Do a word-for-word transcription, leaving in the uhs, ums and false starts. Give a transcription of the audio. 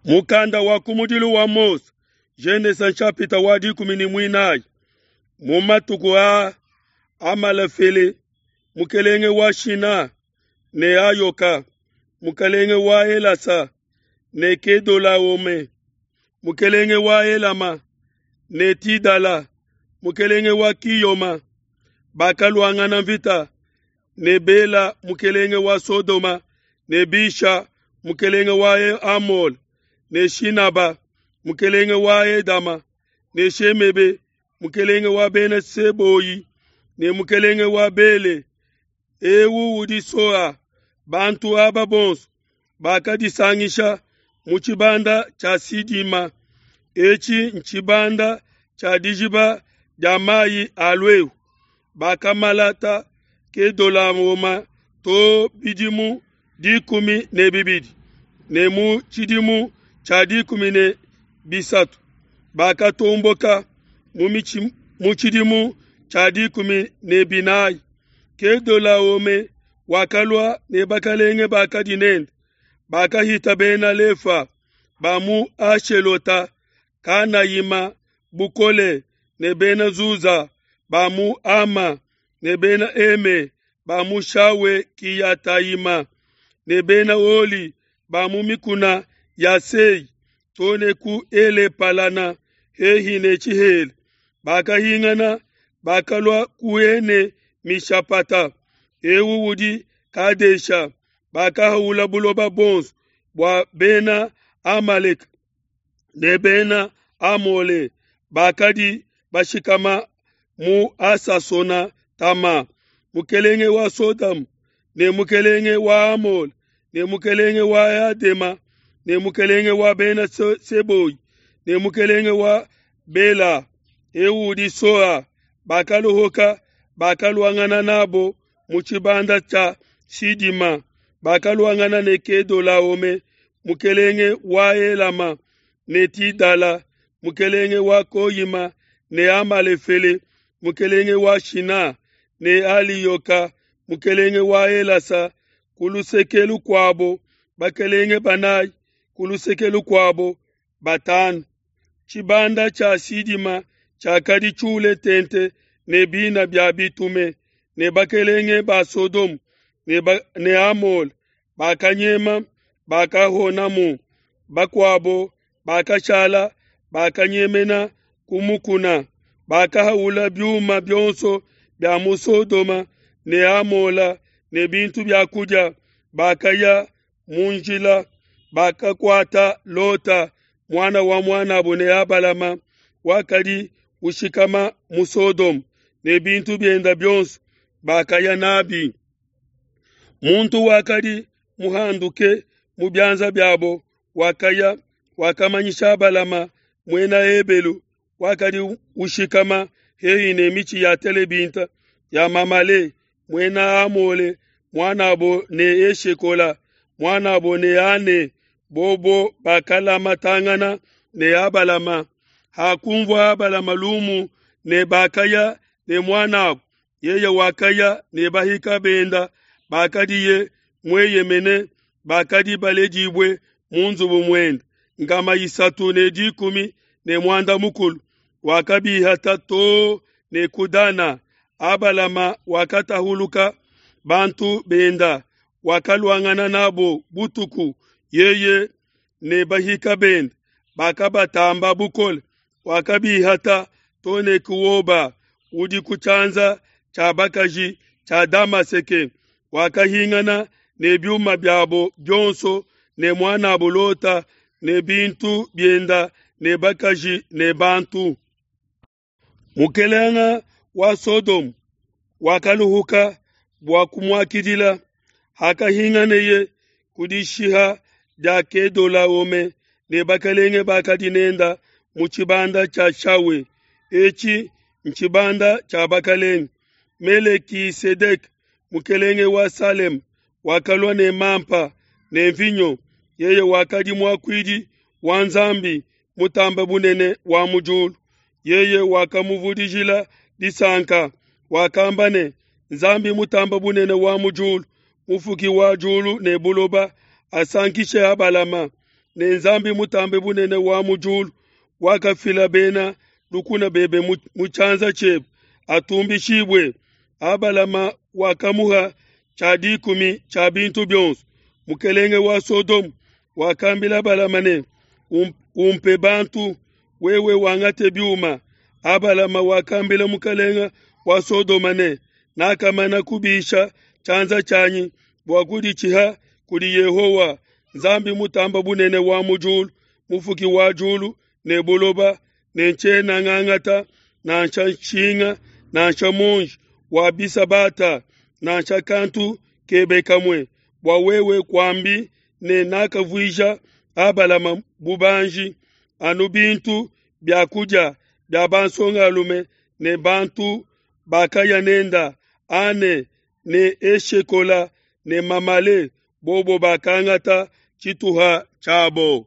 Mukanda wa kumudilu wa Mose, Genese nshapita wa dikumi ne muinayi. Mu matuku aa Amalafele mukelenge wa Shina ne Ayoka mukelenge wa Elasa ne Kedolaome mukelenge wa Elama ne Tidala mukelenge wa Kiyoma bakaluangana mvita ne Bela mukelenge wa Sodoma ne Bisha mukelenge wa Amole ne Shinaba mukelenge wa Edama ne Shemebe mukelenge wa Bena Seboyi ne mukelenge wa Bele eu udi Soa. Bantu aba bonso bakadisangisha mu tshibanda tshia Sidima. Etshi ntshibanda tshia dijiba dia mayi a luehu. Bakamalata Kedolaoma to bidimu dikumi ne bibidi, ne mu tshidimu tshia dikumi ne bisatu bakatomboka mu mitshi- mu tshidimu tshia dikumi ne binayi. Kedolaome wakalua ne bakalenge bakadi nende, bakahita Bena Lefa ba mu Ashelota Kanayima bukole ne Bena Zuza ba mu Ama ne Bena Eme ba mu Shawe Kiyatayima ne Bena Oli ba mu mikuna ya Sei to ne ku Ele-Palana hehi ne Tshihela. Bakahingana bakalua ku Ene Mishapata, eu udi Kadesha. Bakahaula buloba buonso bua Bena Amaleka ne Bena Amole bakadi bashikama mu Asasona Tama. Mukelenge wa Sodoma ne mukelenge wa Amole ne mukelenge wa Adema ne mukelenge wa Bena Se- Seboyi ne mukelenge wa Bela, eu udi Soa, bakaluhuka bakaluangana nabo mu tshibanda tshia Sidima. Bakaluangana ne Kedolaome mukelenge wa Elama ne Tidala mukelenge wa Koyima ne Amalefele mukelenge wa Shina ne Aliyoka mukelenge wa Elasa ku luseke lukuabo, bakelenge banayi ku luseke lukuabo batanu. Tshibanda tshia Sidima tshiakadi tshiule tente ne bina bia bitume, ne bakelenge ba Sodoma ne, ba, ne Amole bakanyema bakahonamu. Bakuabo bakashala bakanyemena ku mukuna, bakahaula biuma bionso bia mu Sodoma ne Amola ne bintu bia kudia. Bakaya mu njila, bakakuata Lota muana wa muanabo ne Abalama wakadi ushikama mu Sodoma ne bintu bienda bionso bakaya nabi. Muntu wakadi muhanduke mu bianza biabo wakaya wakamanyisha Abalama muena Ebelu wakadi ushikama hehi ne mitshi ya telebinta ya Mamale muena Amole muanabo ne Eshekola muanabo ne Ane, bobo bakalamatangana ne Abalama. Hakunvua Abalama lumu ne bakaya ne muanabo, yeye wakaya ne bahika benda bakadiye mueyemene bakadi baledibue mu nzubu muende nkama isatu ne dikumi ne muanda mukulu, wakabihata to ne ku Dana. Abalama wakatahuluka bantu benda, wakaluangana nabo butuku, yeye ne bahika bende bakabatamba bukole, wakabihata to ne ku Hoba udi ku tshianza tshia bakaji tshia Damaseke. Wakahingana ne biuma biabo bionso ne muanabo Lota ne bintu bienda ne bakaji ne bantu. Mukelenge wa Sodoma wakaluhuka bua kumuakidila. Hakahinganeye ku dishiha dia Kedolaome ne bakelenge bakadi nenda mu tshibanda tshia Shawe, etshi ntshibanda tshia bakelenge. Melekisedeke mukelenge wa Salema wakalua ne mampa ne mvinyo, yeye wakadi muakuidi wa Nzambi mutambe bunene wa mu diulu. Yeye wakamuvudijila disanka, wakamba ne, Nzambi mutambe bunene wa mu diulu, mufuki wa diulu ne buloba, asankishe Abalama. ne Nzambi Mutambe Bunene wa mu diulu, wakafila bena lukuna bebe mu tshianza tshiebe, atumbishibue. Abalama wakamuha tshia dikumi tshia bintu bionso. Mukelenge wa Sodoma wakambila Abalama ne, Umpe bantu, wewe wangate biuma. Abalama wakambila mukelenge wa Sodoma ne, Nakamana kubisha tshianza tshianyi bua kuditshiha kudi Yehowa, Nzambi Mutambe Bunene wa mu diulu, mufuki wa diulu ne buloba, ne tshiena ngangata nansha nshinga nansha muonji wa bisabata nansha kantu kebe kamue, bua wewe kuambi ne nakavuija Abalama bubanji, anu bintu bia kudia bia bansongalume ne bantu bakaya nenda, Ane ne Eshekola ne Mamale, bobo bakangata tshituha tshiabo.